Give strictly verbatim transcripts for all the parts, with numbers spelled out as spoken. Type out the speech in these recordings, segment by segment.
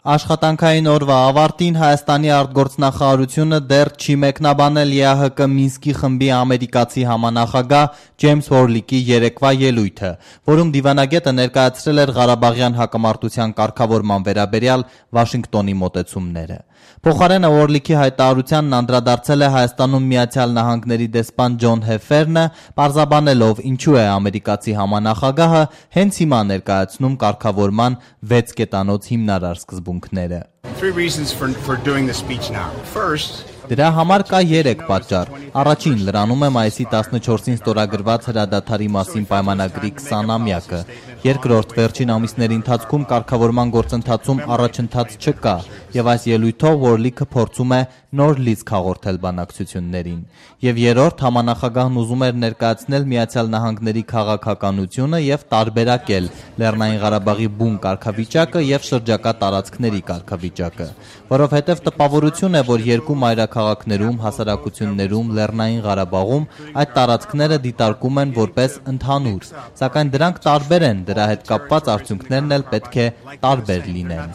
Աշխատանքային օրվա ավարտին Հայաստանի արտգործնախարարությունը դեռ չի մեկնաբանել ԵԱՀԿ Մինսկի խմբի ամերիկացի համանախագահ Ջեյմս Հորլիքի երեկվա ելույթը, որում դիվանագետը ներկայացրել էր Ղարաբաղյան հակամարտության կարգավորման վերաբերյալ Վաշինգտոնի մոտեցումները։ Փոխարենը Հորլիքի հայտարարությանն անդրադարձել է Հայաստանում Միացյալ Նահանգների դեսպան Ջոն Հեֆերնը, պարզաբանելով ինչու է ամերիկացի համանախագահը հենց հիմա ներկայացնում կարգավորման վեց կետանոց հիմնարար սկզբունքները։ Դրա համար կա երեք պատճառ։ Առաջին, լրանում է մայիսի տասնչորսին ստորագրված հրադադարի մասին պայմանագրի քսանամյակը։ Երկրորդ, վերջին ամիսների ընթացքում կարգավորման գործընթացում առաջընթաց չկա, եւ այս ելույթով Հորլիքը փորձում է նոր լիցք հաղորդել բանակցություններին։ Եվ երրորդ, համանախագահն ուզում էր ներկայացնել Միացյալ Նահանգների քաղաքականությունը եւ տարբերակել Լեռնային Ղարաբաղի բուն կարգավիճակը եւ շրջակա տարածքների կարգավիճակը, որովհետեւ տպավորություն է, որ երկու մայրաքաղաքներում, հասարակություններում, Լեռնային Ղարաբաղում այդ տարածքները դիտարկում են որպես ընդհանուր, սակայն դրանք տարբեր են, դրա հետ կապված արդյունքներն էլ պետք է տարբեր լինեն։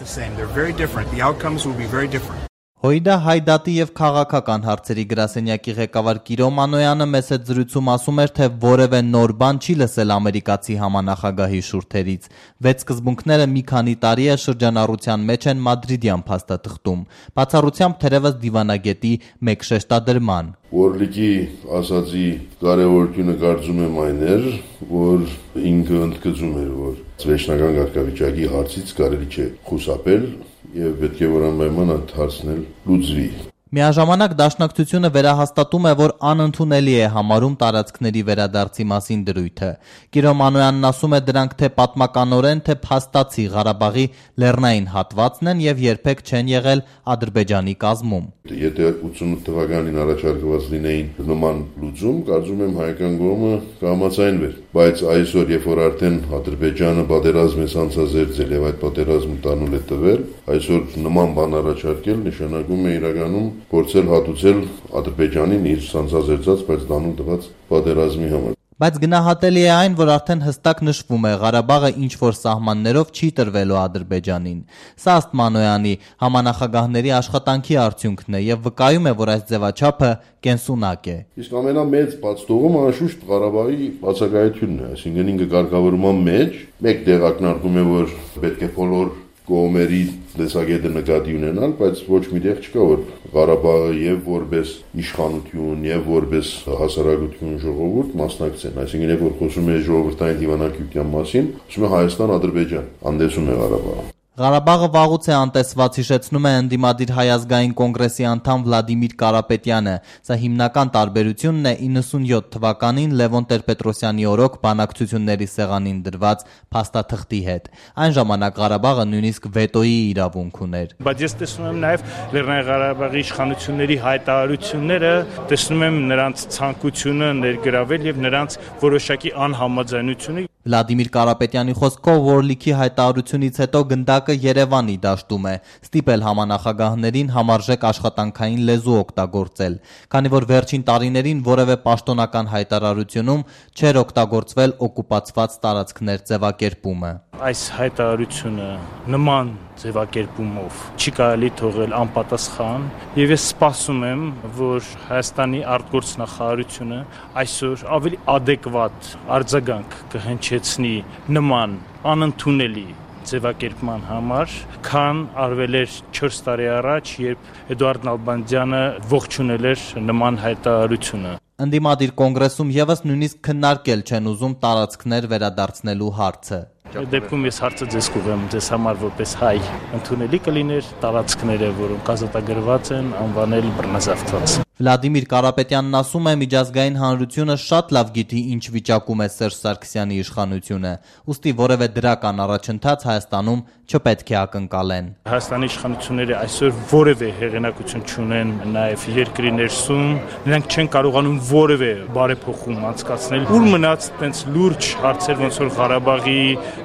Հույդա Հայդատի եւ քաղաքական հարցերի գրասենյակի ղեկավար Կիրո Մանոյանը մեծ հետ զրույցում ասում էր, թե որևէ նոր բան չի լսել ամերիկացի համանախագահի շուրթերից։ Վեց սկզբունքները մի քանի տարի է շրջանառության մեջ են մադրիդյան փաստաթղթում, բացառությամբ թերևս դիվանագետի մեկ շեշտադրման։ Հորլիքի ասացի կարևորությունը կարծում եմ այն էր, որ ինքը ընդգծում էր, որ վերջնական կարգավիճակի հարցից կարելի չէ խուսափել եւ պետք է որ անպայման այդ հարցն էլ լուծվի։ Միաժամանակ դաշնակցությունը վերահաստատում է, որ անընդունելի է համարում տարածքների վերադարձի մասին դրույթը։ Կիրո Մանոյանն ասում է, դրանք թե պատմականորեն, թե փաստացի Ղարաբաղի լեռնային հատվածն են եւ երբեք չեն եղել Ադրբեջանի կազմում։ Եթե ութսունութ թվականին առաջարկված լինեին նման լուծում, կարծում եմ հայկական կողմը կհամաձայնվեր, բայց այսօր, երբ որ արդեն Ադրբեջանը պատերազմ է ցանցազերծել եւ այդ պատերազմը տանուլ է տվել, այսօր նման բան առաջարկել նշանակում է իրականում փորձել հատուցել Ադրբեջանին իր ցանցազերծած, բայց տանուլ տված պատերազմի համար։ Բայց գնահատելի է այն, որ արդեն հստակ նշվում է Ղարաբաղը ինչ-որ սահմաններով չի տրվելու Ադրբեջանին։ Սա ըստ Մանոյանի համանախագահների աշխատանքի արդյունքն է եւ վկայում է, որ այս ձևաչափը կենսունակ է։ Իսկ ամենամեծ բացթողումը անշուշտ Ղարաբաղի բացակայությունն է, այսինքն ինքը կարգավորման մեջ մեկ դեղակնարկում է, որ պետք է բոլոր կողմերի տեսակետը նկատի ունենալ, բայց ոչ մի տեղ չկա, որ Ղարաբաղը եւ որպես իշխանություն եւ որպես հասարակություն ժողովուրդ մասնակցեն, այսինքն երբ որ խոսում է ժողովրդային դիվանագիտության մասին, ասում է Հայաստան-Ադրբեջան, անդեսում է Ղարաբաղը։ Ղարաբաղը վաղուց է անտեսված, հիշեցնում է ընդդիմադիր Հայ ազգային կոնգրեսի անդամ Վլադիմիր Կարապետյանը։ Սա հիմնական տարբերությունն է իննսունյոթ թվականին Լևոն Տեր-Պետրոսյանի օրոք բանակցությունների սեղանին դրված փաստաթղթի հետ։ Այն ժամանակ Ղարաբաղը նույնիսկ վետոյի իրավունք ուներ։ Բայց ես տեսնում եմ նաև Լեռնային Ղարաբաղի իշխանությունների հայտարարությունները, տեսնում եմ նրանց ցանկությունը ներգրավել եւ նրանց որոշակի անհամաձայնությունը։ Վլադիմիր Կարապետյանի խոսքով Հորլիքի հայտարարությունից հետո գնդակը Երևանի դաշտում է, ստիպել համանախագահներին համարժեք աշխատանքային լեզու օգտագործել, քանի որ վերջին տարիներին որևէ պաշտոնական հայտարարությունում չէր օգտագործվել օկուպացված տարածքներ ձևակերպումը։ Այս հայտարարությունը նման ձևակերպումով չի կարելի թողել անպատասխան եւ ես սպասում եմ, որ Հայաստանի արտգործնախարարությունը այսօր ավելի adekvat արձագանք կհնչեցնի նման անընդունելի ձևակերպման համար, քան արվել էր չորս տարի առաջ, երբ Էդուարդ Նալբանդյանը ողջունել էր նման հայտարարությունը։ Ընդդիմադիր կոնգրեսում եւս նույնիսկ քննարկել չեն ուզում տարածքներ վերադարձնելու հարցը։ Դեպքում ես հարցը ձեզ կուղեմ, ձեզ համար որպես հայ ընդունելի կլիներ տարածքները, որոնք ազատագրված են, անվանել բռնազավթված։ Վլադիմիր Կարապետյանն ասում է, միջազգային հանրությունը շատ լավ գիտի ինչ վիճակում է Սերժ Սարգսյանի իշխանությունը, ուստի որևէ դրական առաջընթաց Հայաստանում չպետք է ակնկալեն։ Հայաստանի իշխանությունները այսօր որևէ հեղինակություն չունեն նաև երկրի ներսում, նրանք չեն կարողանում որևէ բարեփոխում անցկացնել։ Ուր մնաց տենց լուրջ հարցեր, ոնց որ Ղարաբաղի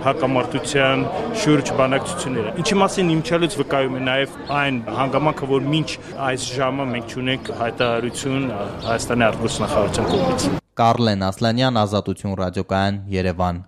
հակամարտության շուրջ բանակցությունները։ Ինչի մասին իմչալից վկայում է նաև այն հանգամանքը, որ մինչ այս ժամը մենք չունենք հայտարարություն Հայաստանի արտգործնախարարության կողմից։ Կարլեն Ասլանյան, Ազատություն ռադիոկայան, Երևան։